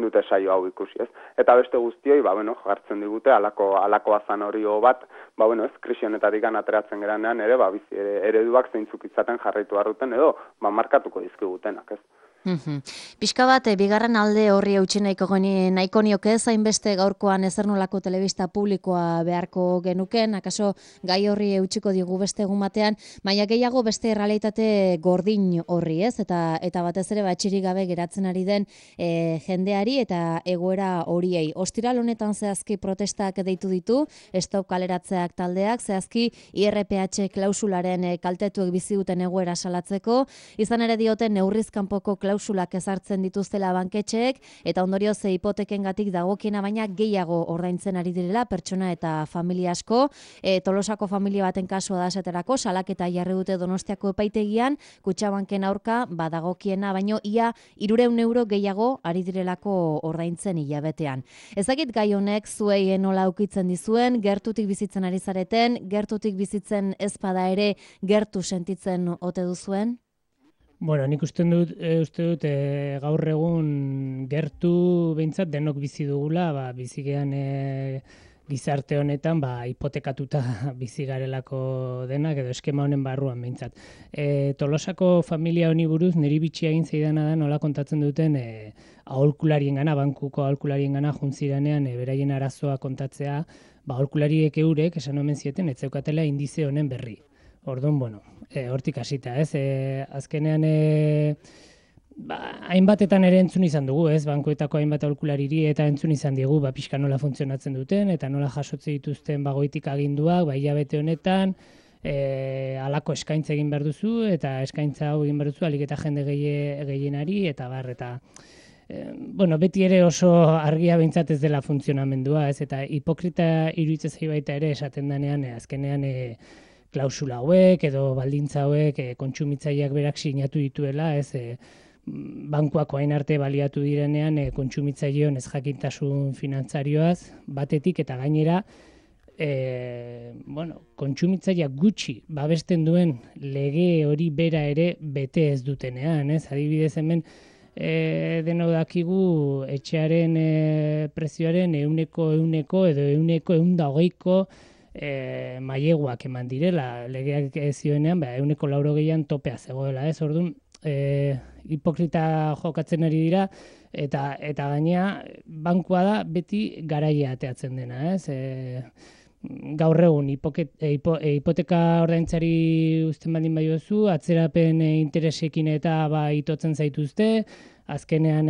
dute saio hau ikusi, ez? Eta beste guztioi, jartzen digute alako azanorio bat, krisi honetatik ateratzen geranean ere, bizi ereduak zeintzuk izaten jarraitu harruten edo, markatuko dizkigutenak, ez? Pixka bat, bigarren alde horri eutsi nahiko nioke zainbeste gaurkoan ezer nolako telebista publikoa beharko genuken, akaso gai horri eutsiko digu beste egun batean, baina gehiago beste errealitate gordin horri, ez? Eta batez ere batxirik gabe geratzen ari den jendeari eta egoera horiei. Ostiral honetan zehazki protestak deitu ditu, stop kaleratzeak taldeak, zehazki IRPH klausularen kaltetuek bizi duten egoera salatzeko, izan ere dioten neurriz kanpoko klausulak ezartzen dituztela banketxeek eta ondorioz hipotekengatik dagokiena baina gehiago ordaintzen ari direla pertsona eta familia asko. Tolosako familia baten kasua da esaterako, salaketa jarri dute Donostiako epaitegian, Kutxabanken aurka dagokiena baino ia 300 euro gehiago ari direlako ordaintzen hilabetean. Ezagik gai honek zuei nola ukitzen dizuen, gertutik bizitzen ari zareten, gertutik bizitzen ez bada ere gertu sentitzen ote duzuen? Bueno, nik uste dut gaur egun gertu behintzat denok bizi dugula, bizigean gizarte honetan hipotekatuta bizi garelako denak edo eskema honen barruan behintzat. Tolosako familia honi buruz niri bitxia egin zeidana da nola kontatzen duten aholkulariengana, bankuko aholkulariengana juntzirenean beraien arazoa kontatzea, aholkulariek eurek esan omen zieten ez zeukatela indize honen berri. Orduan, hortik hasita, ez? Azkenean, hainbatetan ere entzun izan dugu, ez? Bankuetako hainbat aholkulariri eta entzun izan diegu, pixka nola funtzionatzen duten, eta nola jasotze dituzten goitik aginduak, hilabete honetan, halako eskaintza egin behar duzu, eta eskaintza hau egin behar duzu, alik eta jende gehienari, eta beti ere oso argia behintzat ez dela funtzionamendua, ez? Eta hipokrita iruditzen zaigu baita ere esaten denean, azkenean, klausula hauek edo baldintza hauek kontsumitzaileak berak sinatu dituela, ez bankuak orain arte baliatu direnean kontsumitzaileon ez jakintasun finantzarioaz batetik eta gainera kontsumitzaileak gutxi babesten duen lege hori bera ere bete ez dutenean, ez? Adibidez hemen denok dakigu etxearen prezioaren 100 edo 120ko maileguak eman direla, legeak zioenean, 180an topea zegoela, ez? Orduan, hipokrita jokatzen ari dira, eta gainea, bankua da beti garaia ateatzen dena, ez? Gaur egun, hipoteka ordaintzari uzten baldin badiozu, atzerapen interesekin eta itotzen zaituzte, azkenean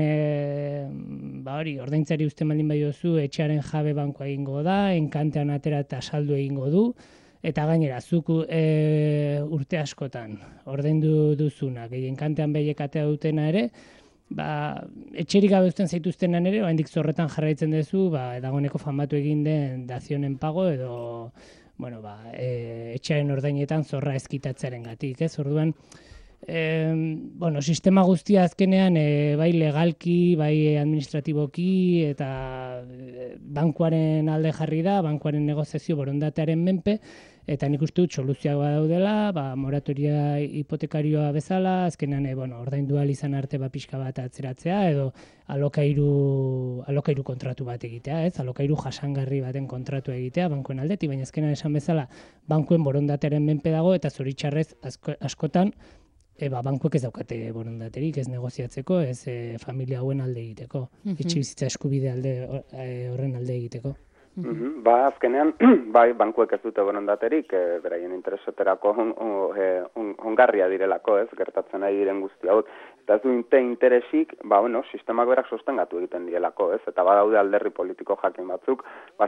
ordaintzari uzten baldin badiozu, etxearen jabe bankua egingo da, enkantean atera eta saldu egingo du, eta gainera, zuk urte askotan ordaindu duzuna, enkantean behiek atea dutena ere, etxerik gabe uzten zaituztenan ere, oraindik zorretan jarraitzen duzu, dagoeneko famatu egin den dazionen pago edo etxearen ordainetan zorra ezkitatzearengatik, ez? Orduan, sistema guztia azkenean bai legalki, bai administratiboki eta bankuaren alde jarri da, bankuaren negoziazio borondatearen menpe, eta nik uste dut soluzioak badaudela, moratoria hipotekarioa bezala, azkenean ordaindu ahal izan arte pixka bat atzeratzea edo alokairu kontratu bat egitea, ez? Alokairu jasangarri baten kontratu egitea bankuen aldetik, baina azkenean esan bezala bankuen borondatearen menpe dago eta zoritxarrez askotan bankuek ez daukate borondaterik, ez negoziatzeko, ez familia hauen alde egiteko, etxebizitza eskubide horren alde egiteko. Azkenean, bankuek ez dute borondaterik, beraien intereseterako ongarria direlako, ez, gertatzen ari diren guzti hauek. Eta ez du interesik, sistemak berak sostengatu egiten dielako, ez, eta badaude alderri politiko jakin batzuk,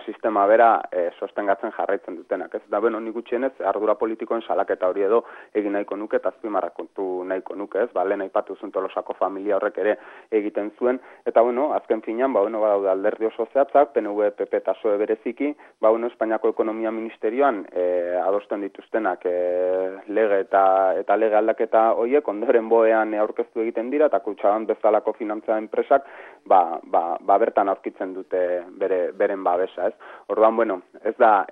sistema bera sostengatzen jarraitzen dutenak, ez. Eta nik gutxienez, ardura politikoen salaketa hori edo egin nahiko nuke, eta azpimarrakontu nahiko nuke, ez, lehen aipatu zuen Tolosako familia horrek ere egiten zuen, eta azken finean, badaude alderdi oso zehatzak, PNV, PP eta PSOE bereziki, Espainiako Ekonomia Ministerioan adosten dituztenak lege eta lege aldaketa horiek ondoren boean aurkeztu egiten dira, eta Kutxabank bezalako finantza enpresak bertan aurkitzen dute beren babesa, ez? Orduan, bueno, ez da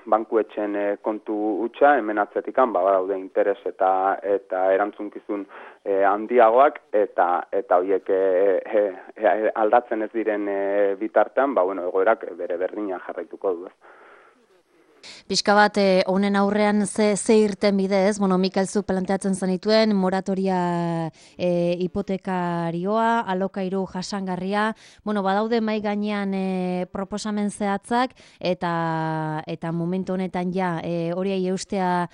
bankuetxen kontu hutsa, hemen atzetikan, badaude interes eta erantzunkizun handiagoak, eta horiek aldatzen ez diren bitartean, egoerak bere berdina jarraituko du, ez? Pixka bat, honen aurrean ze irten bidez, Mikel zuk planteatzen zenituen, moratoria hipotekarioa, alokairu jasangarria, badaude mai gainean proposamen zehatzak, eta momentu honetan ja, horiei eustea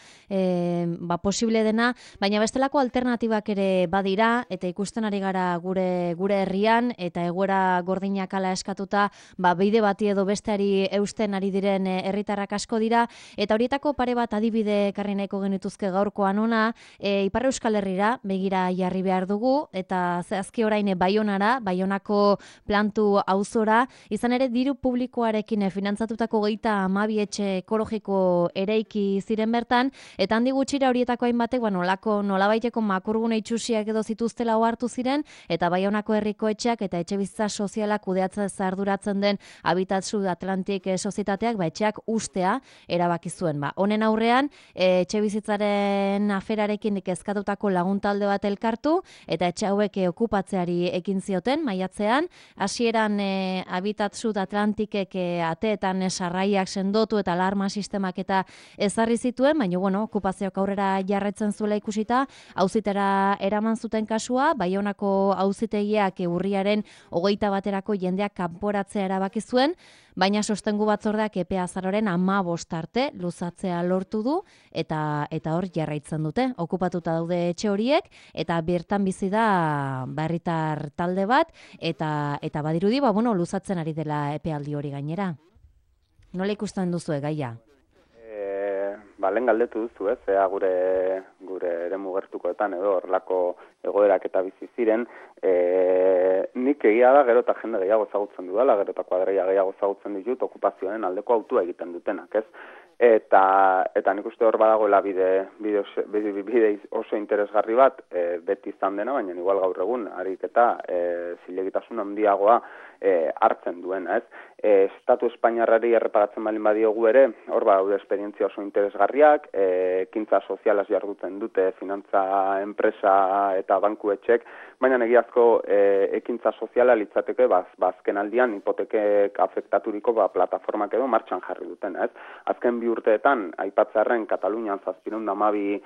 posible dena, baina bestelako alternatibak ere badira, eta ikusten ari gara gure herrian, eta egoera gordinak ala eskatuta, bide bati edo besteari eusten ari diren herritarrak asko dira, eta horietako pare bat adibide karri nahiko genituzke gaurkoan ona, Ipar Euskal Herrira begira jarri behar dugu, eta zehazki orain Baionako plantu auzora, izan ere diru publikoarekin finantzatutako 32 etxe ekologiko ereiki ziren bertan, eta handi gutxira horietako hainbatek, nolabaiteko makurgune itxusiak edo zituztela ohartu ziren, eta Baionako herriko etxeak eta etxebizitza sozialak kudeatzen arduratzen den Habitat Sud Atlantic sozietateak etxeak ustea erabaki zuen. Honen aurrean, etxebizitzaren aferarekin kezkatutako laguntalde bat elkartu, eta etxe hauek okupatzeari ekin zioten, maiatzean, hasieran Habitat Sud Atlanticek ateetan sarraiak sendotu eta alarma sistemak eta ezarri zituen, baina okupazioak aurrera jarraitzen zuela ikusita, auzitera eraman zuten kasua, Baionako auzitegiak urriaren 21 jendeak kanporatzea erabaki zuen, baina sostengu batzordeak epea azaroaren 15 arte luzatzea lortu du, eta hor jarraitzen dute. Okupatuta daude etxe horiek, eta bertan bizi da herritar talde bat, eta badirudi, luzatzen ari dela epealdi hori gainera. Nola ikusten duzu gaia? Lehen galdetu duzu, ea gure eremu gertukoetan edo horrelako egoerak eta bizi ziren, nik egia da gero eta jende gehiago ezagutzen dudala, gero eta kuadreia gehiago ezagutzen ditut okupazioaren aldeko autua egiten dutenak, ez? Eta nik uste hor badagoela bide oso interesgarri bat, beti izan dena, baina igual gaur egun, harik eta zilegitasun handiagoa hartzen duena, ez? Estatu Espainiarrari erreparatzen balin badiogu ere, hor badaude esperientzia oso interesgarriak, ekintza sozialaz jarduten dute, finantza enpresa eta banku etxek, baina egiazko ekintza soziala litzateke azken aldian hipotekek afektaturiko plataformak edo martxan jarri duten, ez? Azken bi urteetan, aipatzarren Katalunian 712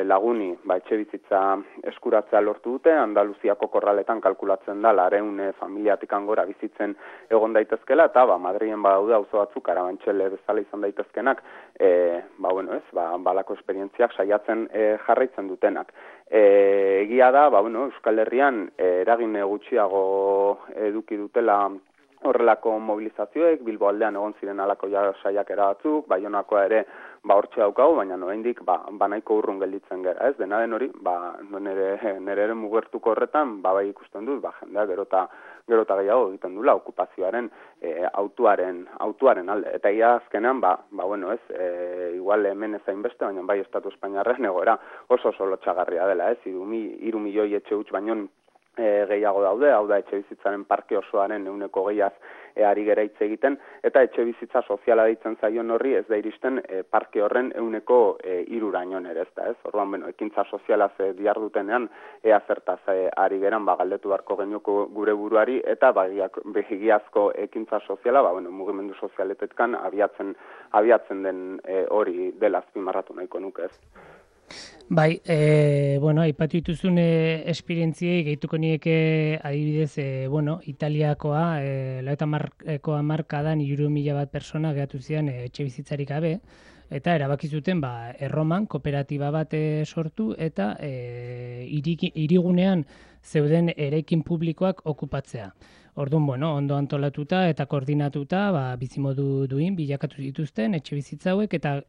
laguni etxe bizitza eskuratzea lortu dute, Andaluziako korraletan kalkulatzen da 200 familiatik gora bizitzen egon daitezkela, eta Madrilen badaude auzo batzuk Karabantxele bezala izan daitezkenak, balako esperientziak saiatzen jarraitzen dutenak. Egia da, Euskal Herrian eragin gutxiago eduki dutela horrelako mobilizazioek, Bilbo aldean egon ziren alako saiakera batzuk, Baionakoa ere hortxe daukagu, baina nahiko nahiko urrun gelditzen gara, ez? Dena den hori, nire ere mugertuko horretan, bai ikusten dut, jendea gero eta gehiago egiten dula okupazioaren autuaren alde. Eta ia azkenean, igual hemen ezain beste, baina bai Estatu Espainiarren egoera oso lotxagarria dela, ez? 3 milioi etxe huts baino gehiago daude, hau da etxe bizitzaren parke osoaren 100%az ari gera hitz egiten, eta etxe bizitza soziala deitzen zaion horri ez da iristen parke horren 3%raino ere, ez da, ez? Orduan, ekintza sozialaz diardutenean ea zertaz ari geran, galdetu beharko genioko gure buruari, eta begiazko ekintza soziala, mugimendu sozialetetkan abiatzen den hori dela azpimarratu nahiko nuke, ez? Bai, aipatu dituzun esperientziei gehituko nieke adibidez, Italiakoa, 90ko hamarkadan 3.000 pertsona geratu ziren etxe bizitzarik gabe, eta erabaki zuten Erroman kooperatiba bat sortu eta hirigunean zeuden eraikin publikoak okupatzea. Orduan, ondo antolatuta eta koordinatuta bizimodu duin bilakatu dituzten etxe bizitza hauek, eta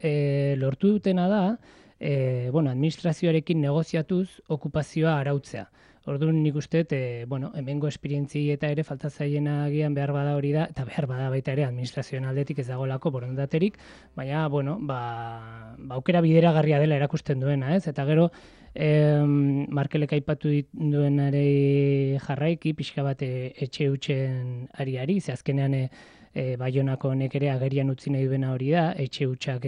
lortu dutena da administrazioarekin negoziatuz okupazioa arautzea. Orduan nik uste, hemengo esperientzi eta ere falta zaiena agian behar bada hori da, eta behar bada baita ere administrazioen aldetik ez dagoelako borondaterik, baina, aukera bideragarria dela erakusten duena, ez? Eta gero, Markelek aipatu duenare jarraiki, pixka bat etxe hutsen ariari, ze azkenean Baionako honek ere agerian utzi nahi duena hori da, etxe hutsak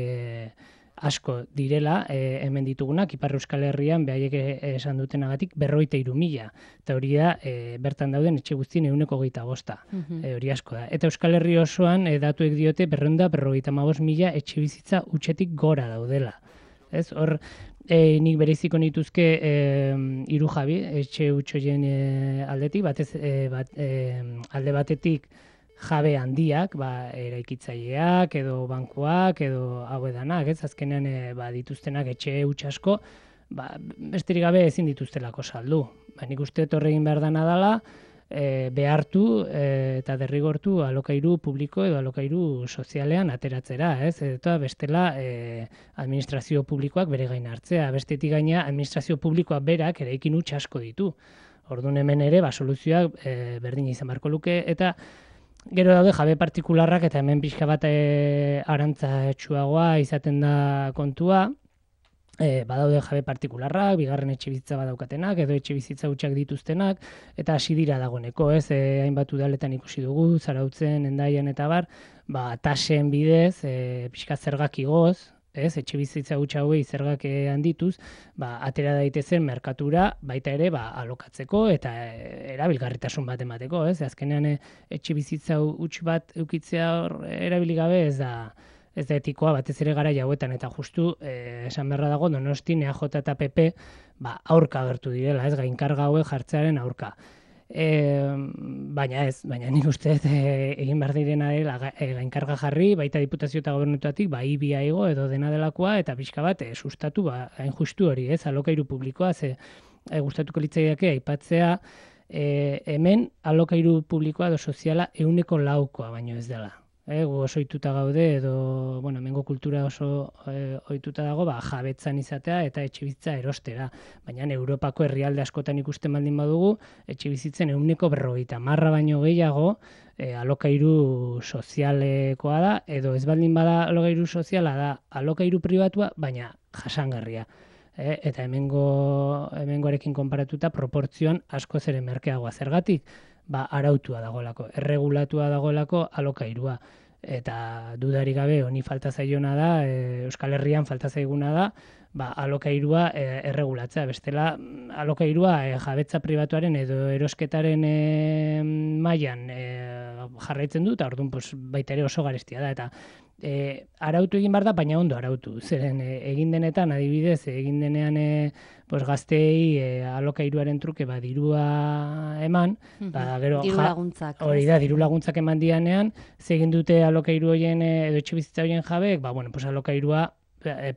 asko direla, hemen ditugunak, Ipar Euskal Herrian, behaiek esan dutenagatik, 53.000. Eta hori da, bertan dauden etxe guztien 125. Hori asko da. Eta Euskal Herri osoan, datuek diote, 255.000 etxe bizitza hutsetik gora daudela. Ez, hor, nik bereiziko nituzke 3 jabi, etxe hutsoien aldetik, alde batetik, jabe handiak, eraikitzaileak, edo bankuak, edo hau edanak, ez, azkenean dituztenak etxe huts asko, besterik gabe ezin dituztelako saldu. Nik uste horregin behar dana dela, behartu eta derrigortu alokairu publiko edo alokairu sozialean ateratzera, ez, eta bestela administrazio publikoak bere gain hartzea, bestetik gaina administrazio publikoak berak eraikin huts asko ditu. Orduan hemen ere, soluzioak berdin izan beharko luke, eta gero daude jabe partikularrak, eta hemen pixka bat arantza izaten da kontua, badaude jabe partikularrak, bigarren etxe bizitza badaukatenak, edo etxe bizitza hutsak dituztenak, eta hasi dira dagoeneko, ez, hainbat udaletan ikusi dugu, Zarautzen, Hendaian eta bar, tasen bidez, pixka zergak igoz, ez, etxe bizitza hutsa hauei zergak handituz, atera daitezen merkatura baita ere alokatzeko eta erabilgarritasun bat emateko, ez? Azkenean etxe bizitza huts bat edukitzea erabili gabe ez da etikoa, batez ere gara hauetan, eta justu esan beharra dago Donostin EAJ eta PP aurka agertu direla, ez, gainkarga hauek jartzearen aurka. Baina nik uste egin behar direna dela gainkarga jarri, baita Diputazio eta Gobernutatik ibia igo edo dena delakoa, eta pixka bat sustatu hain justu hori, ez, alokairu publikoa, ze gustatuko litzaiake aipatzea hemen alokairu publikoa edo soziala 104 baino ez dela. Gu oso ohituta gaude, edo, hemengo kultura oso ohituta dago, jabetzan izatea eta etxe bizitza erostera. Baina Europako herrialde askotan ikusten baldin badugu, etxe bizitzen 150 baino gehiago alokairu sozialekoa da, edo ez baldin bada alokairu soziala da alokairu pribatua, baina jasangarria. Eta hemengoarekin konparatuta proportzioan askoz ere merkeagoa. Zergatik? Arautua dagoelako, erregulatua dagoelako alokairua. Eta dudarik gabe honi falta zaiona da, Euskal Herrian falta zaiguna da, alokairua erregulatzea. Bestela, alokairua jabetza pribatuaren edo erosketaren mailan jarraitzen du, eta orduan baita ere oso garestia da. Eta arautu egin behar da, baina ondo arautu. Zeren egin denetan, adibidez, egin denean gazteei alokairuaren truke dirua eman, gero diru laguntzak. Hori da, diru laguntzak eman dianean, zegin dute alokairu horien edo etxe bizitza horien jabeek, alokairua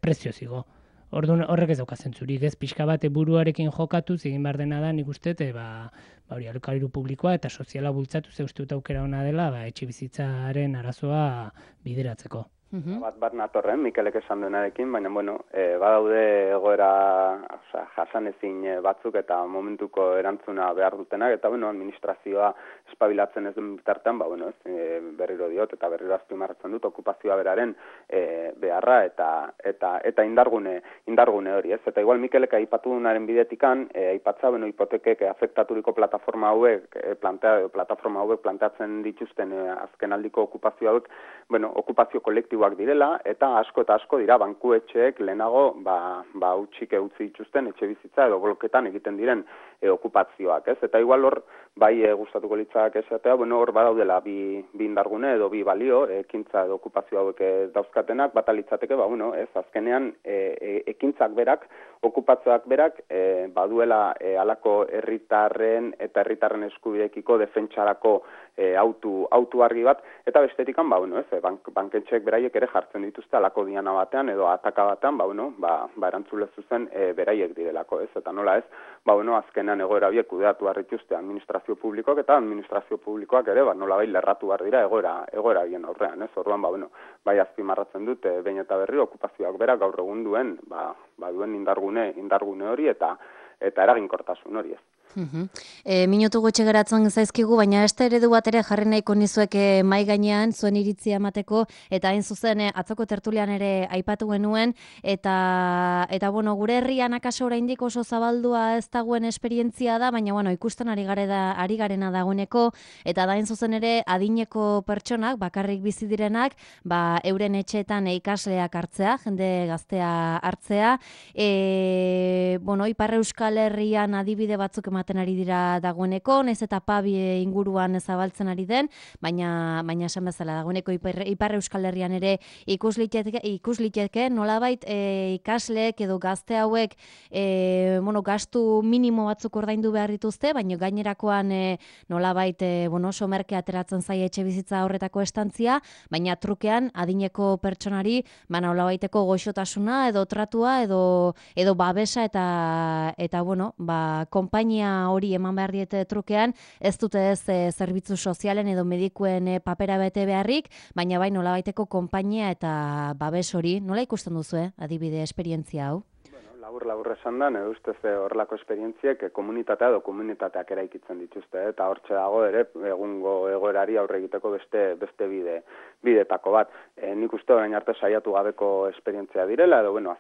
prezio zigo. Orduan horrek ez dauka zentzurik, ez, pixka bat buruarekin jokatu, egin behar dena da, nik uste, hori alokairu publikoa eta soziala bultzatu, ze uste dut aukera ona dela, etxe bizitzaren arazoa bideratzeko. Bat natorren, Mikelek esan duenarekin, baina, badaude egoera jasanezin batzuk eta momentuko erantzuna behar dutenak, eta, administrazioa espabilatzen ez duen bitartean, berriro diot eta berriro azpimarratzen dut, okupazioa beraren beharra eta indargune hori, ez? Eta igual Mikelek aipatu duenaren bidetikan, aipatza, hipotekek afektaturiko plataforma hauek planteatzen dituzten azkenaldiko okupazio hauek, okupazio kolektiboak direla, eta asko dira bankuetxeek lehenago utzik utzi dituzten etxe bizitza edo bloketan egiten diren okupazioak, ez? Eta igual hor, gustatuko litzak esatea, hor badaudela bi indargune edo bi balio, ekintza edo okupazio hauek dauzkatenak, bata litzateke, ez, azkenean ekintzak berak, okupazioak berak, baduela halako herritarren eta herritarren eskubideekiko defentsarako autu argi bat, eta bestetikan, banketxeek beraiek ere jartzen dituzte halako diana batean edo ataka batean, erantzule zuzen beraiek direlako, ez, eta nola ez, azkenean egoera biek kudeatu harrituzte administrazio publikoak, eta administrazio publikoak ere, nola lerratu behar dira egoera bien aurrean, ez, orduan, azpimarratzen dute, behin eta berri, okupazioak berak gaur egun duen, duen indargune hori eta eraginkortasun hori, ez. Minutu gutxi geratzen zaizkigu, baina beste eredu bat ere jarri nahiko nizuek mai gainean zuen iritzia emateko, eta hain zuzen atzoko tertulian ere aipatu genuen, eta bueno, gure herrian akaso oraindik oso zabaldua ez dagoen esperientzia da, baina bueno, ikusten ari garena dagoeneko, eta da hain zuzen ere adineko pertsonak, bakarrik bizi direnak, euren etxeetan ikasleak hartzea, jende gaztea hartzea, bueno, Ipar Euskal Herrian adibide batzuk ematen ari dira dagoeneko, naiz eta pabi inguruan zabaltzen ari den, baina esan bezala dagoeneko Ipar Euskal Herrian ere ikus liteke nolabait ikasleek edo gazte hauek bueno, gastu minimo batzuk ordaindu behar dituzte, baina gainerakoan nolabait somerke ateratzen zaie etxe bizitza horretako estantzia, baina trukean adineko pertsonari nolabaiteko goxotasuna edo tratua edo babesa eta bueno, konpainia hori eman behar diete trukean, ez dute ez zerbitzu sozialen edo medikuen papera bete beharrik, baina bai nolabaiteko konpainia eta babes hori. Nola ikusten duzu, adibide esperientzia hau? Labur esan da, nire ustez horrelako esperientziek komunitatea edo komunitateak eraikitzen dituzte, eta hortxe dago ere egungo egoerari aurre egiteko beste bidetako bat. Nik uste orain arte saiatu gabeko esperientzia direla, edo bueno,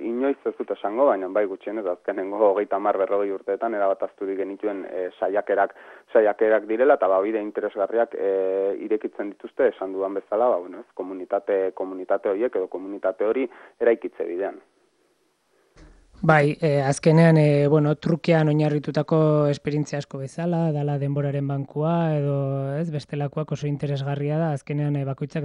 inoiz ez dut esango, baina bai gutxienez azkenengo 30-40 urteetan erabat azturik genituen saiakerak direla, eta bide interesgarriak irekitzen dituzte, esan dudan bezala, komunitate horiek edo komunitate hori eraikitze bidean. Bai, azkenean, trukean oinarritutako esperientzia asko bezala, dala denboraren bankua, edo bestelakoak oso interesgarria da, azkenean bakoitzak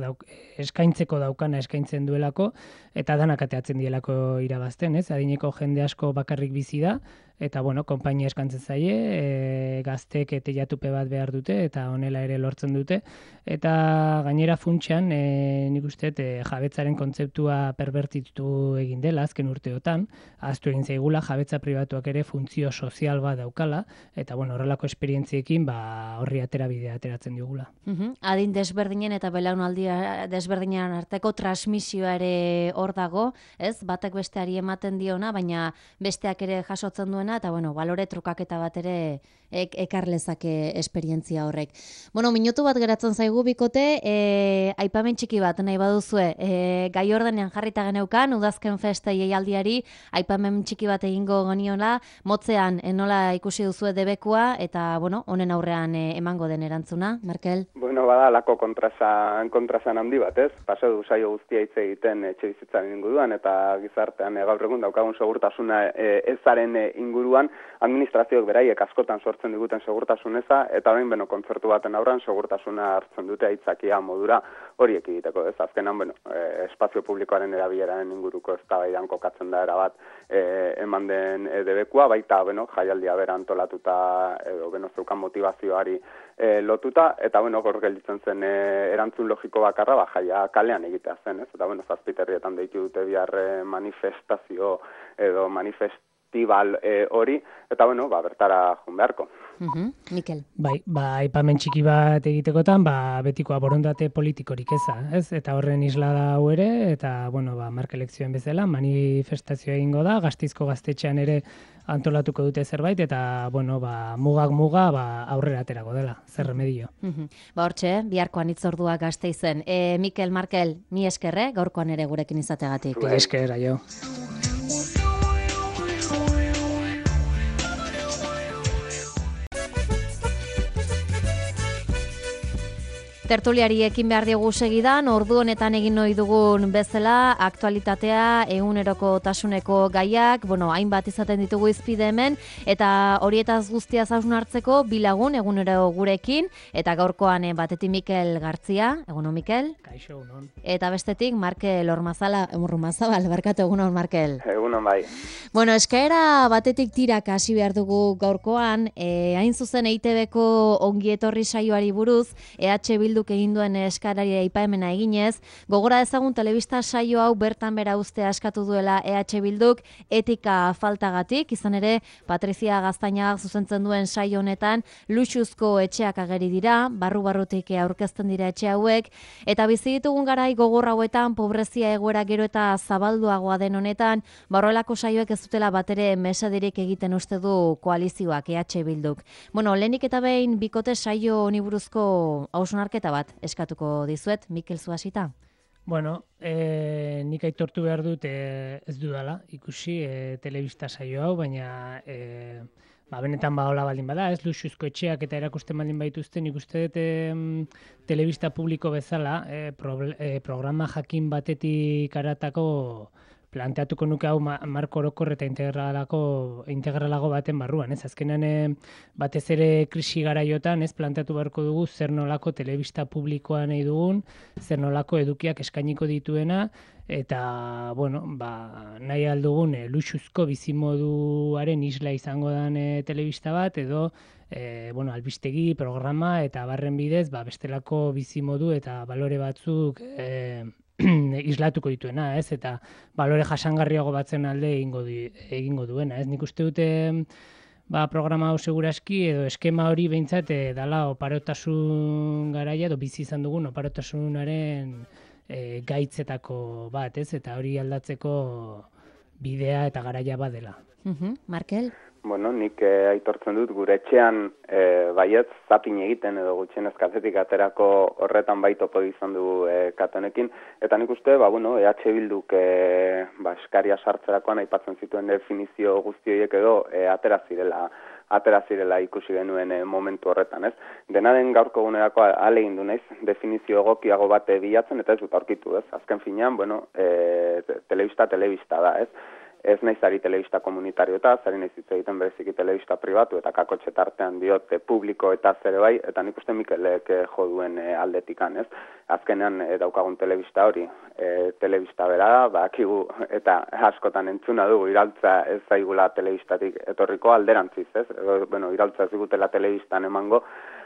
eskaintzeko daukana eskaintzen duelako, eta danak ateatzen dielako irabazten, adineko jende asko bakarrik bizi da, eta konpainia eskantzen zaie, gaztek teilatupe bat behar dute, eta honela ere lortzen dute, eta gainera funtsean, nik uste, jabetzaren kontzeptua perbertitu egin dela, azken urteotan, ahaztu egin zaigula, jabetza pribatuak ere funtzio sozial bat daukala, eta horrelako esperientziekin horri bidea ateratzen digula. Adin desberdinen eta belaunaldi desberdinen arteko transmisioa ere hor dago, batek besteari ematen diona, baina besteak ere jasotzen duena, eta balore trukaketa bat ere ekarlezake esperientzia horrek. Minutu bat geratzen zaigu bikote, aipamen txiki bat nahi baduzue, gai ordenean jarrita geneukan, udazken festa jaialdiari, aipamen txiki bat egingo geniola, motzean nola ikusi duzue debekua, eta honen aurrean emango den erantzuna, Merkel? Bada lako kontrasan handi bat, Pasa du saio guztia hitz egiten etxe bizitzaren inguruan, eta gizartean gaur egun daukagun segurtasuna ezaren inguruan, administrazioek beraiek askotan sortzen diguten segurtasun eza, eta orain kontzertu baten aurrean segurtasuna hartzen dute aitzakia modura horiek egiteko, azkenan, espazio publikoaren erabileraren inguruko eztabaidan kokatzen da erabat eman den debekua, baita jaialdia bera antolatuta edo zeukan motivazioari lotuta, eta hor gelditzen zen erantzun logiko bakarra jaia kalean egitea zen, eta zazpiterrietan deitu dute bihar manifestazio edo festival hori, eta bertara joan beharko. Mikel. Bai, aipamen txiki bat egitekotan, betikoa borondate politikorik eza, eta horren isla da hau ere, eta, marka elekzioen bezala, manifestazioa egingo da, Gasteizko gaztetxean ere antolatuko dute zerbait, eta, mugak muga, aurrera aterako dela, zer remedio. Hortxe, biharkoan itzordua Gasteizen. Mikel, Markel, mi esker, gaurkoan ere gurekin izategatik. Esker, aio. Tertuliari ekin behar diogu segidan, ordu honetan egin ohi dugun bezala, aktualitatea, eguneroko tasuneko gaiak, hainbat izaten ditugu izpide hemen, eta horietaz guztia hausnartzeko bilagun egunero gurekin, eta gaurkoan batetik Mikel Gartzia, egunon Mikel? Kaixo, egunon. Eta bestetik Markel Ormazabal, barkatu egunon Markel. Egunon bai. Eskaera batetik tirak hasi behar dugu gaurkoan, hain zuzen EITB-ko ongietorri saioari buruz, EH Bildu Bilduk egin duen eskarari aipamena eginez, gogora dezagun telebista saio hau bertan bera uztea eskatu duela Bilduk etika faltagatik, izan ere Patrizia Gaztainagak zuzentzen duen saio honetan luxuzko etxeak ageri dira, barru-barrutik aurkezten dira etxe hauek, eta bizi ditugun garai gogor hauetan pobrezia egoera gero eta zabalduagoa den honetan, horrelako saioek ez dutela batere mesederik egiten uste du koalizioak Bilduk. Bueno, lehenik eta behin bikote saio honi buruzko hausnarketa bat eskatuko dizuet, Mikel Zuhasita. Bueno, nik aitortu behar dut ez dudala ikusi telebista saio hau, baina benetan hola baldin bada, ez luxuzko etxeak eta erakusten baldin baituzten, nik uste dut telebista publiko bezala programa jakin batetik aratako planteatuko nuke hau marko orokor eta integralago baten barruan, ez? Azkenean batez ere krisi garaiotan, ez, planteatu beharko dugu zer nolako telebista publikoa nahi dugun, zer nolako edukiak eskainiko dituena, eta, bueno, nahi aldugun luxuzko bizimoduaren isla izango den telebista bat, edo albistegi, programa, eta barren bidez, bestelako bizimodu eta balore batzuk islatuko dituena, ez? Eta balore jasangarriago batzen alde egingo duena, ez? Nik uste dute programa hau seguraski edo eskema hori behintzat dala oparotasun garaia edo bizi izan dugun oparotasunaren gaitzetako bat, ez? Eta hori aldatzeko bidea eta garaia badela. Markel? Bueno, nik aitortzen dut gure etxean baietz zapin egiten edo gutxienez kazetik aterako horretan topo izan du katonekin, eta nik uste, Bilduk eskaria sartzerakoan aipatzen zituen definizio guzti horiek edo atera zirela ikusi genuen momentu horretan, ez? Dena den gaurko egunerako ahalegin du naiz, definizio egokiago bat bilatzen eta ez dut aurkitu, ez? Azken finean, telebista da, ez? Ez naiz ari telebista komunitario eta zari naiz hitz egiten bereziki telebista pribatu eta kakotxe tartean diot publiko eta zere bai, eta nik uste Mikelek jo duen aldetikan, ez? Azkenean daukagun telebista hori, telebista bera, bakigu eta askotan entzuna dugu iraultza ez zaigula telebistatik etorriko alderantziz, ez? Iraultza ez digutela telebistan emango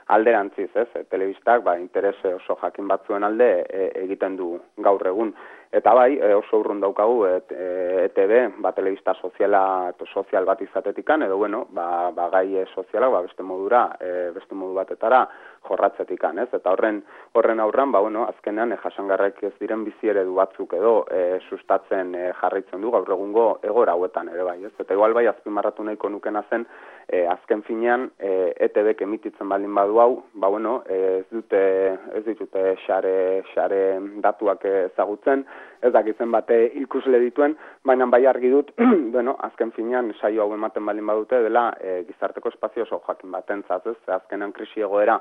alderantziz, ez? Telebistak interes oso jakin batzuen alde egiten du gaur egun. Eta oso urrun daukagu ETB, telebista sozial bat izatetikan, edo gai sozialak beste modu batetara jorratzetikan, ez? Eta horren aurran, azkenean jasangarrek ez diren bizi eredu batzuk edo sustatzen jarraitzen du gaur egungo egora hauetan ere bai, ez? Eta igual azpimarratu nahiko nukena zen, azken finean ETBek emititzen baldin badu hau, ez ditute xare datuak ezagutzen, ez dakitzen bate ikusle dituen, baina bai argi dut, azken finean saio hau ematen baldin badute dela gizarteko espazio oso jakin batentzat, ez? Azkenan krisi egoera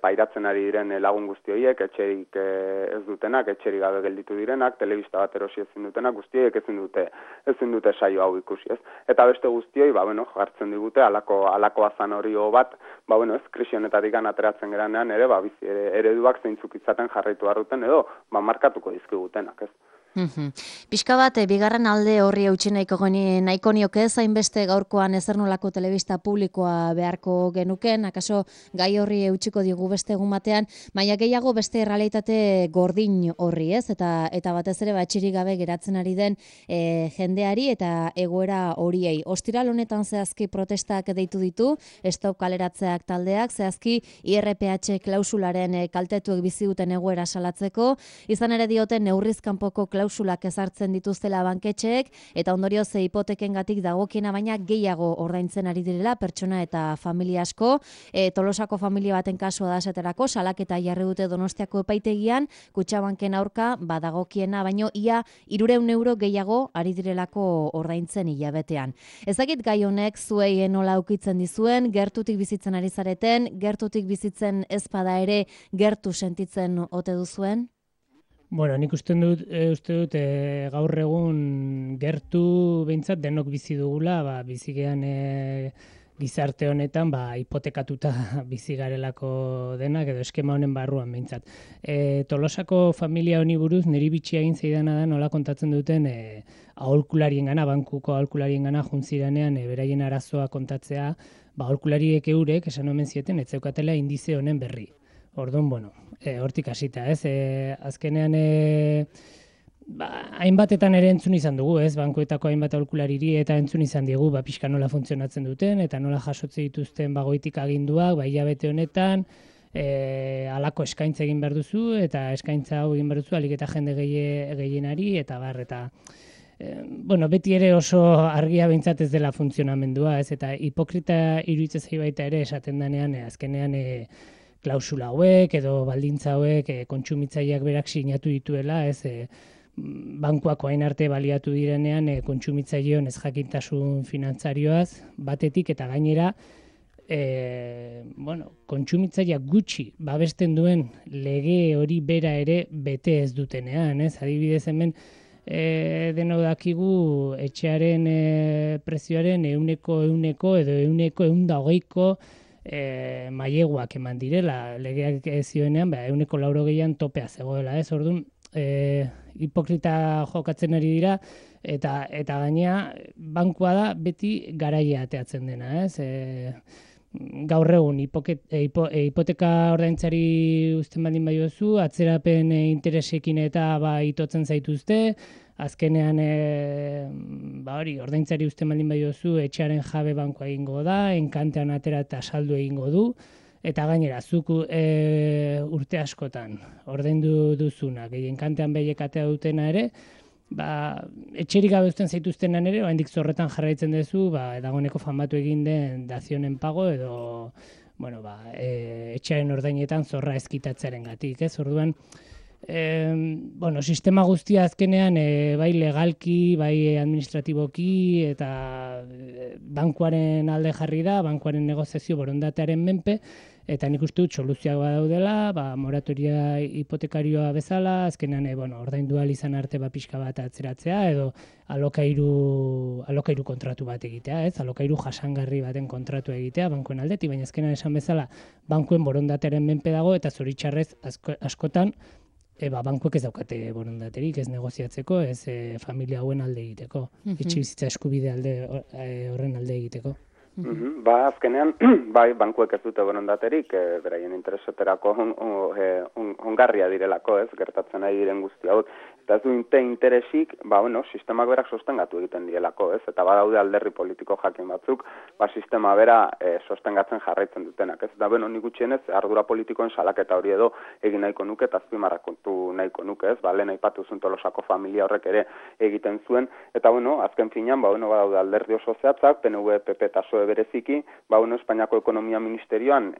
pairatzen ari diren lagun guzti horiek, etxerik ez dutenak, etxerik gabe gelditu direnak, telebista bat erosi ezin dutenak, guzti horiek ezin dute saio hau ikusi, ez? Eta beste guztioi, jartzen digute alako azan hori bat, ez krisi honetatik ateratzen geranean ere, bizi ereduak zeintzuk izaten jarraitu harruten edo, markatuko dizkigutenak, ez? Pixka bat, bigarren alde horri eutsi nahiko nioke zainbeste gaurkoan ezernolako telebista publikoa beharko genuken, akaso gai horri eutsiko digu beste egun batean, baina gehiago beste errealitate gordin horri, ez? Eta batez ere etxerik gabe geratzen ari den jendeari eta egoera horiei. Ostiral honetan zehazki protestak deitu ditu, stop kaleratzeak taldeak, zehazki IRPH klausularen kaltetuek bizi duten egoera salatzeko, izan ere dioten neurrizkanpoko klausulak ezartzen dituztela banketxeek eta ondorioz hipotekengatik dagokiena baina gehiago ordaintzen ari direla pertsona eta familia asko. Tolosako familia baten kasua da esaterako, salaketa jarri dute Donostiako epaitegian, Kutxabanken aurka badagokiena baino ia 300 euro gehiago ari direlako ordaintzen hilabetean. Ezakit gai honek zuei nola ukitzen dizuen, gertutik bizitzen ari zareten, gertutik bizitzen ez bada ere gertu sentitzen ote duzuen? Bueno, nik uste dut gaur egun gertu behintzat denok bizi dugula, bizigean gizarte honetan hipotekatuta bizi garelako denak edo eskema honen barruan behintzat. Tolosako familia honi buruz niri bitxia egin zeidana da nola kontatzen duten aholkulariengana, bankuko aholkulariengana juntziranean beraien arazoa kontatzea, aholkulariek eurek esan omen zieten ez zeukatela indize honen berri. Orduan, bueno, hortik hasita, ez? Azkenean, hainbatetan ere entzun izan dugu, ez? Bankuetako hainbat aholkulariri eta entzun izan diegu, pixka nola funtzionatzen duten, eta nola jasotze dituzten goitik aginduak, hilabete honetan, halako eskaintza egin behar duzu, eta eskaintza hau egin behar duzu, alik eta jende gehienari, eta bueno, beti ere oso argia behintzat ez dela funtzionamendua, ez? Eta hipokrita iruditzen zait baita ere esaten denean, azkenean klausula hauek edo baldintza hauek kontsumitzaileak berak sinatu dituela, ez? Bankuak orain arte baliatu direnean kontsumitzaileon ezjakintasun finantzarioaz batetik eta gainera kontsumitzaileak gutxi babesten duen lege hori bera ere bete ez dutenean, ez? Adibidez hemen denok dakigu etxearen prezioaren 100% edo 120ko maileguak eman direla, legeak zioenean 180an topea zegoela, ez? Orduan, hipokrita jokatzen ari dira, eta gainea bankua da beti garaia ateatzen dena, ez? Gaur egun hipoteka ordaintzari uzten baldin badiozu, atzerapen interesekin eta itotzen zaituzte, azkenean ordaintzari uzten baldin badiozu, etxearen jabe bankua egingo da, enkantean atera eta saldu egingo du, eta gainera, zuk urte askotan ordaindu duzuna, gehien kantean behiek atea dutena ere, etxerik gabe uzten zaituztenan ere, oraindik zorretan jarraitzen duzu, dagoeneko famatu egin den dazionen pago edo, etxearen ordainetan zorra ezkitatzearengatik, ez? Orduan, sistema guztia azkenean, bai legalki, bai administratiboki, eta bankuaren alde jarri da, bankuaren negoziazio borondatearen menpe, eta nik uste dut soluzioak badaudela, moratoria hipotekarioa bezala, azkenean ordaindu ahal izan arte pixka bat atzeratzea, edo alokairu kontratu bat egitea, ez? Alokairu jasangarri baten kontratu egitea bankuen aldetik, baina azkenean esan bezala bankuen borondatearen menpe dago, eta zoritxarrez askotan bankuek ez daukate borondaterik, ez negoziatzeko, ez familia hauen alde egiteko, etxebizitza eskubide horren alde egiteko. Azkenean, bankuek ez dute borondaterik, beraien interesaterako ongarria direlako, ez, gertatzen ari diren guzti hauek, eta ez du interesik, sistemak berak sostengatu egiten dielako, ez, eta badaude alderri politiko jakin batzuk, sistema bera sostengatzen jarraitzen dutenak, ez, eta nik gutxienez, ardura politikoen salaketa hori edo egin nahiko nuke, eta azpimarrakontu nahiko nuke, ez, lehen aipatu zuen Tolosako familia horrek ere egiten zuen, eta azken finean, badaude alderdi oso zehatzak, PNV, PP eta PSOE bereziki, Espainiako Ekonomia Ministerioan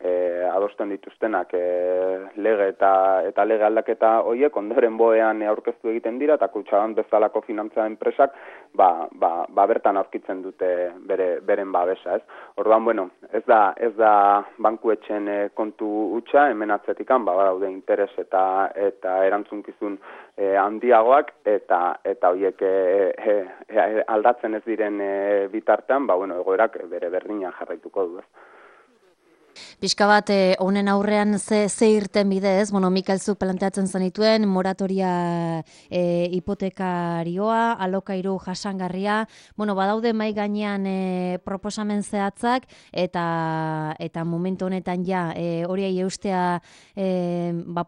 adosten dituztenak lege eta lege aldaketa horiek ondoren boean aurkeztu egiten dira, eta Kutxabank bezalako finantza enpresak bertan aurkitzen dute beren babesa, ez? Orduan, ez da bankuetxen kontu hutsa, hemen atzetikan, badaude interes eta erantzunkizun handiagoak, eta horiek aldatzen ez diren bitartean, egoerak bere berdina jarraituko du, ez. Pixka bat, honen aurrean ze irten bidez, Mikel zuk planteatzen zenituen, moratoria hipotekarioa, alokairu jasangarria, badaude mai gainean proposamen zehatzak, eta momentu honetan horiei eustea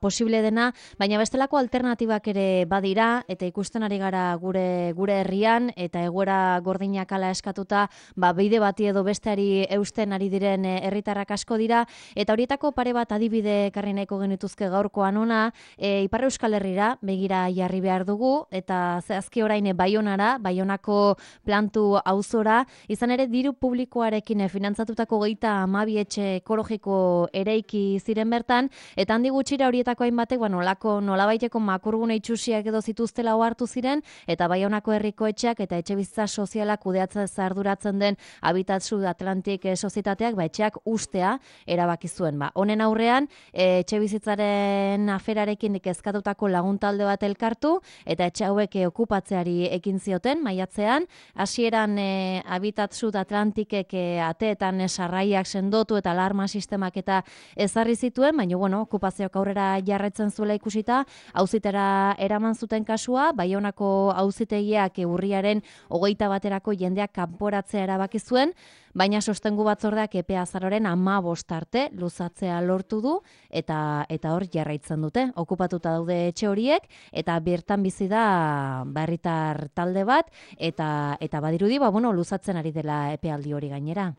posible dena, baina bestelako alternatibak ere badira, eta ikusten ari gara gure herrian, eta egoera gordinak ala eskatuta, bide bati edo besteari eusten ari diren herritarrak asko dira, eta horietako pare bat adibide ekarri nahiko genituzke gaurkoan ona, Ipar Euskal Herrira begira jarri behar dugu, eta zehazki orain Baionara, Baionako plantu auzora, izan ere diru publikoarekin finantzatutako 32 etxe ekologiko ereiki ziren bertan, eta handi gutxira horietako hainbatek, nolabaiteko makurgune itxusiak edo zituztela ohartu ziren, eta Baionako herriko etxeak eta etxebizitza sozialak kudeatzen arduratzen den Habitat Sud Atlantik sozietateak etxeak ustea erabaki zuen. Honen aurrean, etxebizitzaren aferarekin kezkatutako laguntalde bat elkartu, eta etxe hauek okupatzeari ekin zioten, maiatzean, hasieran Habitat Sud Atlantikek ateetan sarraiak sendotu eta alarma sistemak eta ezarri zituen, baina okupazioak aurrera jarraitzen zuela ikusita, auzitera eraman zuten kasua, Baionako auzitegiak urriaren 21 jendeak kanporatzea erabaki zuen, baina sostengu batzordeak EPE azaroaren 15 arte luzatzea lortu du eta hor jarraitzen dute. Okupatuta daude etxe horiek eta bertan bizi da herritar talde bat eta badirudi luzatzen ari dela epealdi hori gainera.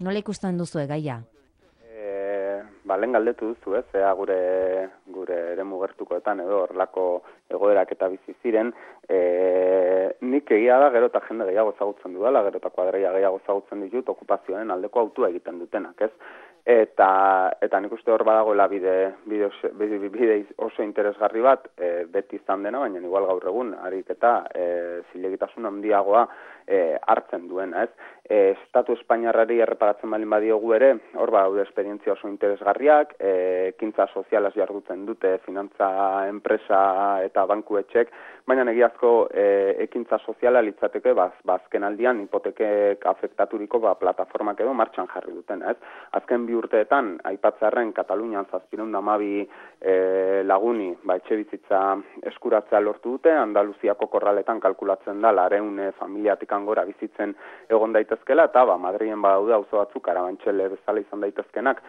Nola ikusten duzu gaia? Lehen galdetu duzu, ea gure eremu gertukoetan edo horrelako egoerak eta bizi ziren, nik egia da gero eta jende gehiago ezagutzen dudala, gero eta kuadreia gehiago ezagutzen ditut okupazioaren aldeko autua egiten dutenak, ez? Eta nik uste hor badagoela bide oso interesgarri bat, beti izan dena, baina igual gaur egun, harik eta zilegitasun handiagoa hartzen duena, ez? Estatu Espainiarrari erreparatzen balin badiogu ere, hor badaude esperientzia oso interesgarriak, ekintza sozialaz jarduten dute, finantza, enpresa eta bankuetxek, baina egiazko ekintza soziala litzateke, azken aldian hipotekek afektaturiko plataformak edo martxan jarri duten, ez? Azken 2 urteetan, aipatzearren Katalunian 712 laguni etxe bizitza eskuratzea lortu dute, Andaluziako korraletan kalkulatzen da 200 familiatik gora bizitzen egon daitezkela, eta Madrilen badaude auzo batzuk Karabantxele bezala izan daitezkenak,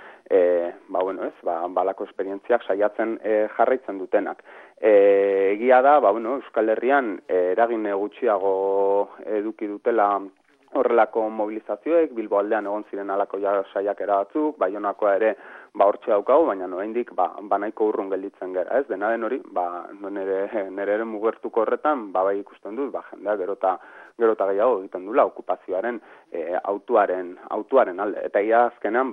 balako esperientziak saiatzen jarraitzen dutenak. Egia da, Euskal Herrian eragin gutxiago eduki dutela horrelako mobilizazioek, Bilbo aldean egon ziren alako saiakera batzuk, Baionakoa ere hortxe daukagu, baina oraindik nahiko urrun gelditzen gera, ez? Dena den hori, nire ere mugertuko horretan, bai ikusten dut, jendea gero eta gehiago egiten dula okupazioaren autuaren alde. Eta ia azkenean,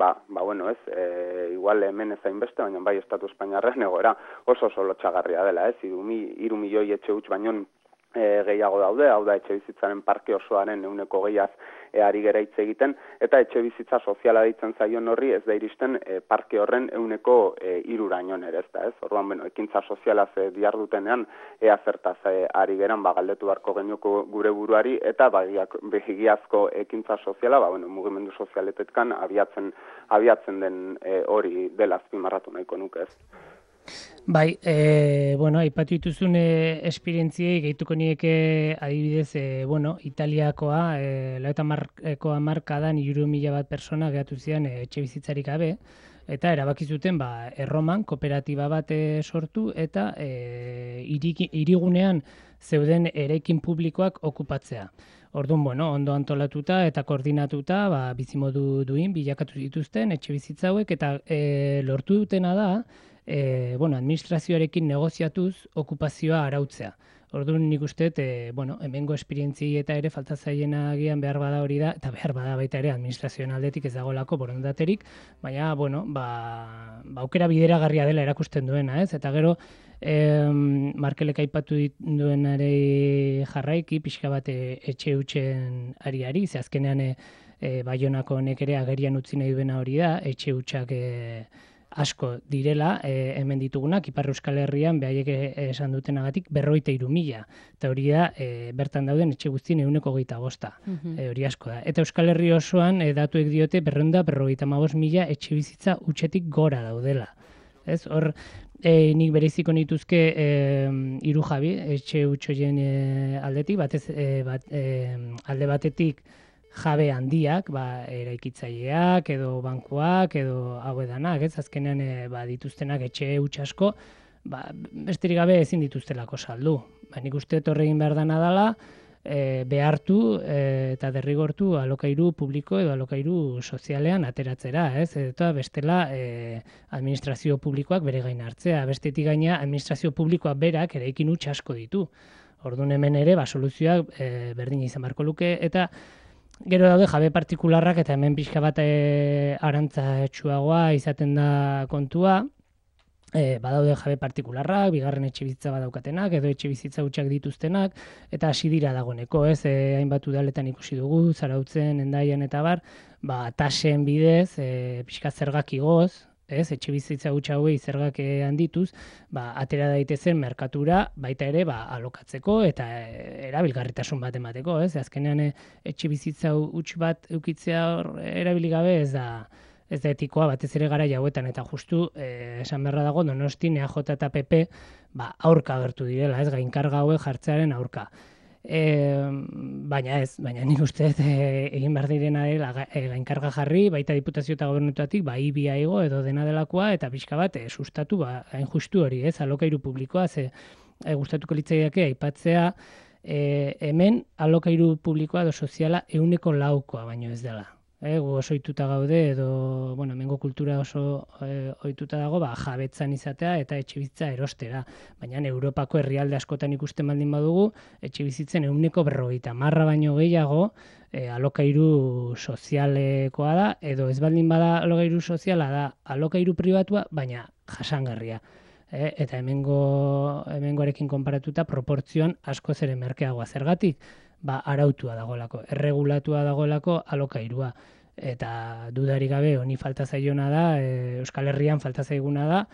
igual hemen ezain beste, baina bai Estatu Espainiarren egoera oso lotxagarria dela, ez? 3 milioi etxe huts baino gehiago daude, hau da etxe bizitzaren parke osoaren 100%az ari gera hitz egiten, eta etxe bizitza soziala deitzen zaion horri ez da iristen parke horren 3%raino ere, ez? Orduan, ekintza sozialaz dihardutenean ea zertaz ari geran, galdetu beharko genuko gure buruari, eta begiazko ekintza soziala, mugimendu sozialetetkan abiatzen den hori dela azpimarratu nahiko nuke, ez? Bai, aipatu dituzun esperientziei gehituko nieke adibidez, Italiakoa, 90ko hamarkadan 3.000 bat persona gehatu ziren etxe bizitzarik gabe, eta erabaki zuten Erroman kooperatiba bat sortu eta hirigunean zeuden eraikin publikoak okupatzea. Orduan, ondo antolatuta eta koordinatuta bizimodu duin bilakatu dituzten etxe bizitza hauek, eta lortu dutena da administrazioarekin negoziatuz okupazioa arautzea. Orduan nik uste, hemengo esperientziei eta ere falta zaiena agian behar bada hori da, eta behar bada baita ere administrazioen aldetik ez dagoelako borondaterik, baina, aukera bideragarria dela erakusten duena, ez? Eta gero, Markelek aipatu duenare jarraiki, pixka bat etxe hutsen ari, ze azkenean Baionako honek ere agerian utzi nahi duena hori da, etxe hutsak asko direla, hemen ditugunak, Ipar Euskal Herrian, behaiek esan dutenagatik, 53.000. Eta hori da, bertan dauden etxe guztien 125. Hori asko da. Eta Euskal Herri osoan, datuek diote, 255.000 etxe bizitza hutsetik gora daudela. Ez, hor, nik bereziko nituzke 3 jabi, etxe hutsoien aldetik, alde batetik, jabe handiak, eraikitzaileak, edo bankuak, edo hau edanak, ez? Azkenean dituztenak etxe huts asko, besterik gabe ezin dituztelako saldu. Nik uste horregin behar dana dela, behartu eta derrigortu alokairu publiko edo alokairu sozialean ateratzera, ez? Eta bestela administrazio publikoak bere gain hartzea, bestetik gaina administrazio publikoak berak eraikin huts asko ditu. Orduan hemen ere, soluzioak berdina izan beharko luke, eta gero daude jabe partikularrak, eta hemen pixka bat arantza izaten da kontua, badaude jabe partikularrak, bigarren etxe bizitza badaukatenak, edo etxe bizitza hutsak dituztenak, eta hasi dira dagoeneko, ez? Hainbat udaletan ikusi dugu, Zarautzen, Hendaian eta bar, tasen bidez, pixka zergak igoz, ez? Etxe bizitza hutsa hauei zergak handituz, atera daitezen merkatura baita ere alokatzeko eta erabilgarritasun bat emateko, ez? Azkenean etxe bizitza huts bat eukitzea erabili gabe ez da etikoa, batez ere gara hauetan, eta justu esan beharra dago Donostin EAJ eta PP aurka agertu direla, ez? Gainkarga hauek jartzearen aurka. baina nik uste egin behar direna dela gainkarga jarri, baita diputazio eta gobernutatik, ibia igo edo dena delakoa, eta pixka bat sustatu, hain justu hori, alokairu publikoa, gustatuko litzaiake aipatzea, hemen alokairu publikoa edo soziala 100%koa baino ez dela. Gu oso ohituta gaude edo, hemengo kultura oso ohituta dago, jabetzan izatea eta etxebizitza erostera. Baina Europako herrialde askotan ikusten baldin badugu, etxebizitzen 150 baino gehiago alokairu sozialekoa da, edo ez baldin bada alokairu soziala da alokairu pribatua, baina jasangarria. Eta hemengoarekin konparatuta proportzioan askoz ere merkeagoa. Zergatik? Arautua dagoelako, erregulatua dagoelako alokairua. Eta dudarik gabe honi falta zaiona da, Euskal Herrian falta zaiguna da,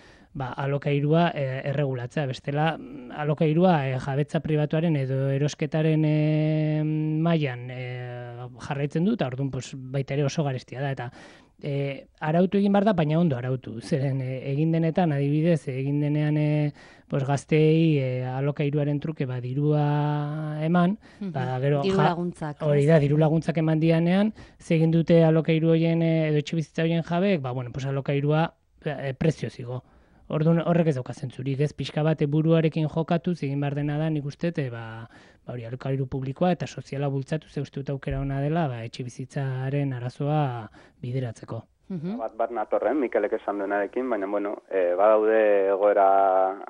alokairua erregulatzea. Bestela, alokairua jabetza pribatuaren edo erosketaren mailan jarraitzen du, eta orduan baita ere oso garestia da. Eta arautu egin behar da, baina ondo arautu. Zeren egin denetan, adibidez, egin denean gazteei alokairuaren truke dirua eman, gero diru laguntzak. Hori da, diru laguntzak eman dianean, egin dute alokairu horien edo etxebizitza horien jabeek, alokairua prezio zigo. Orduan horrek ez dauka zentzurik, ez pixka bat buruarekin jokatu, egin behar dena da, nik uste, hori alokairu publikoa eta soziala bultzatu, ze uste dut aukera ona dela, etxebizitzaren arazoa bideratzeko. Bat natorren, Mikelek esan duenarekin, baina, badaude egoera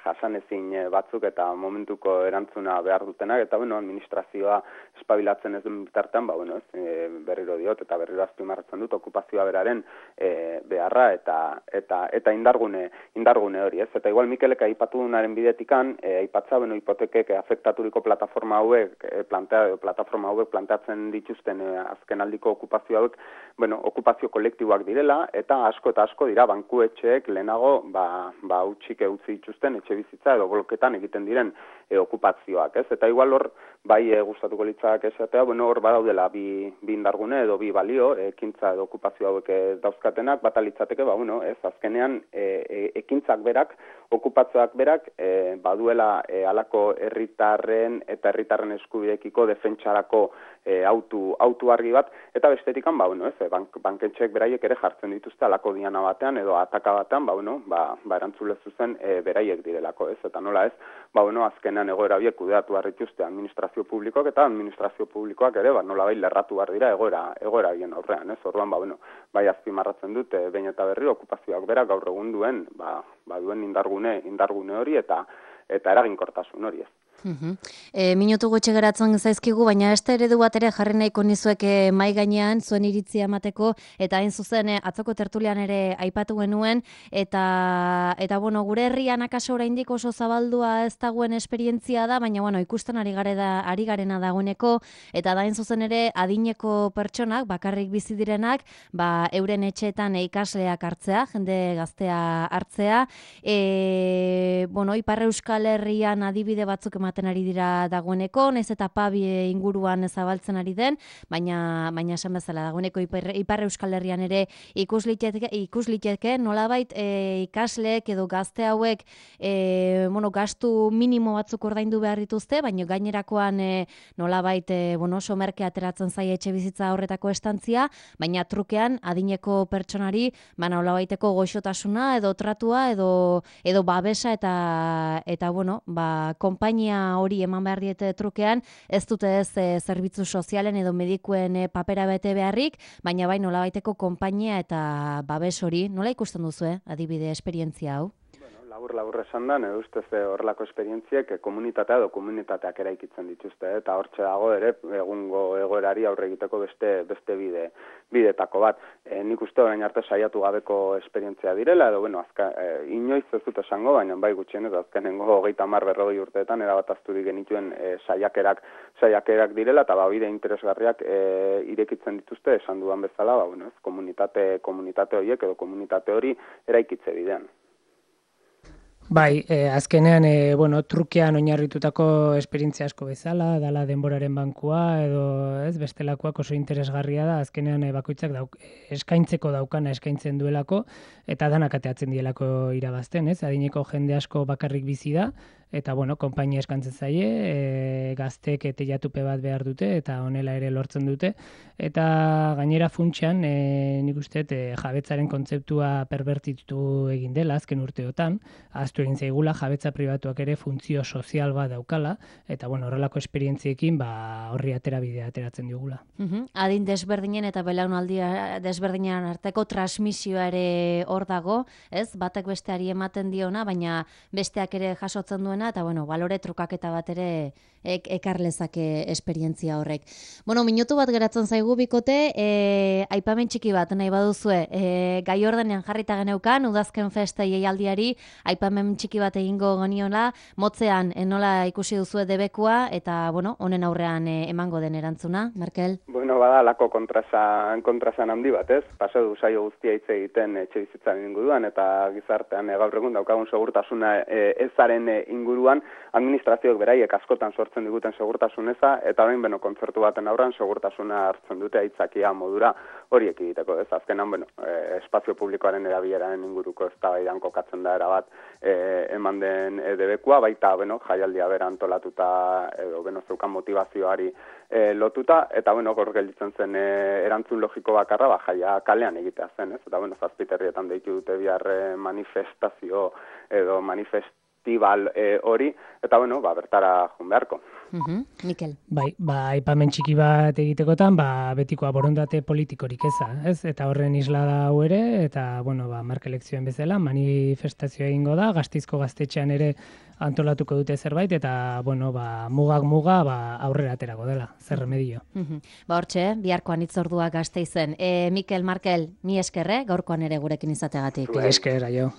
jasanezin batzuk eta momentuko erantzuna behar dutenak, eta, administrazioa espabilatzen ez duen bitartean, berriro diot eta berriro azpimarratzen dut, okupazioa beraren beharra eta indargune hori, ez? Eta igual Mikelek aipatu dunaren bidetikan, aipatza, hipotekek afektaturiko plataforma hauek planteatzen dituzten azkenaldiko okupazio hauek, okupazio kolektiboak direla, eta asko dira bankuetxeek lehenago utxik utzi dituzten etxe bizitza edo bloketan egiten diren okupazioak, ez? Eta igual hor, gustatuko litzak esatea, hor badaudela bi indargune edo bi balio, ekintza edo okupazio hauek dauzkatenak, bata litzateke, ez, azkenean ekintzak berak, okupazioak berak, baduela halako herritarren eta herritarren eskubideekiko defentsarako autu argi bat, eta bestetikan, banketxeek beraiek ere jartzen dituzte halako diana batean edo ataka batean, erantzule zuzen beraiek direlako, ez? Eta nola ez, azkenean egoera horiek kudeatu behar dituzte administrazio publikoak eta administrazio publikoak ere, nolabait lerratu behar dira egoera bien aurrean, ez? Orduan, azpimarratzen dut, behin eta berri okupazioak berak gaur egun duen, duen indargune hori eta eraginkortasun hori, ez? Minutu gutxi geratzen zaizkigu, baina beste eredu bat ere jarri nahiko nizuek mai gainean zuen iritzia emateko, eta hain zuzen atzoko tertulian ere aipatu genuen, eta gure herrian akaso oraindik oso zabaldua ez dagoen esperientzia da, baina ikusten ari garena dagoeneko, eta da hain zuzen ere adineko pertsonak, bakarrik bizi direnak, euren etxeetan ikasleak hartzea, jende gaztea hartzea, Ipar Euskal Herrian adibide batzuk ematen ari dira dagoeneko, naiz eta pabi inguruan zabaltzen ari den, baina esan bezala dagoeneko Ipar Euskal Herrian ere ikus liteke nolabait ikasleek edo gazte hauek gastu minimo batzuk ordaindu behar dituzte, baina gainerakoan nolabait oso merke ateratzen zaie etxe bizitza horretako estantzia, baina trukean adineko pertsonari nolabaiteko goxotasuna edo tratua edo babesa eta konpainia hori eman behar diete trukean, ez dute ez zerbitzu sozialen edo medikuen papera bete beharrik, baina bai nolabaiteko konpainia eta babes hori. Nola ikusten duzu, adibide esperientzia hau? Labur esan da, nire ustez horrelako esperientziek komunitatea edo komunitateak eraikitzen dituzte, eta hortxe dago ere egungo egoerari aurre egiteko beste bidetako bat. Nik uste orain arte saiatu gabeko esperientzia direla, edo inoiz ez dut esango, baina bai gutxien, eta azkenengo 30-40 urteetan erabat azturik genituen saiakerak direla, eta bide interesgarriak irekitzen dituzte, esan dudan bezala, komunitate horiek edo komunitate hori eraikitze bidean. Bai, azkenean, trukean oinarritutako esperientzia asko bezala, dala denboraren bankua, edo bestelakoak oso interesgarria da, azkenean bakoitzak eskaintzeko daukana eskaintzen duelako, eta danak ateatzen dielako irabazten, adineko jende asko bakarrik bizi da, eta bueno, konpainia eskantzen zaie, gaztek teilatupe bat behar dute, eta honela ere lortzen dute, eta gainera funtsean, nik uste jabetzaren kontzeptua perbertitu egin dela azken urteotan, ahaztu egin zaigula jabetza pribatuak ere funtzio sozial bat daukala, eta bueno, horrelako esperientziekin horri aterabidea ateratzen digula. Adin desberdinen eta belaunaldi desberdinen arteko transmisioa ere hor dago, ez? Batek besteari ematen diona, baina besteak ere jasotzen duena, eta bueno, balore trukaketa bat ere ekar lezake esperientzia horrek. Bueno, minutu bat geratzen zaigu bikote, aipamen txiki bat nahi baduzue, gai ordenean jarrita geneukan, udazken festa jaialdiari, aipamen txiki bat egingo geniola, motzean nola ikusi duzue debekua, eta bueno, honen aurrean emango den erantzuna, Markel? Bueno, bada lako kontrasan handi bat, ez? Pasa du saio guztia hitz egiten etxe bizitzaren inguruan, eta gizartean gaur egun daukagun segurtasuna ezaren inguruan, administrazioek beraiek askotan sortzen diguten segurtasun eza, eta orain kontzertu baten aurran segurtasuna hartzen dute aitzakia modura horiek egiteko, ez? Azkenan, espazio publikoaren erabileraren inguruko eztabaidan kokatzen da erabat eman den debekua, baita, jaialdia bera antolatuta edo zeukan motivazioari lotuta, eta gaur gelditzen zen erantzun logiko bakarra, jaia kalean egitea zen, ez? Eta Zazpiterrietan deitu dute bihar manifestazio edo manifestibal hori, eta bertara joan beharko. Mikel. Bai, aipamen txiki bat egitekotan, betikoa borondate politikorik ez? Eta horren isla da hau ere, eta marka elekzioen bezala, manifestazioa egingo da, Gasteizko gaztetxean ere antolatuko dute zerbait, eta mugak muga aurrera aterako dela, zer remedio. Hortxe, biharkoan itzordua Gasteizen. Mikel, Markel, mi eskerre, gaurkoan ere gurekin izateagatik. Esker, aio.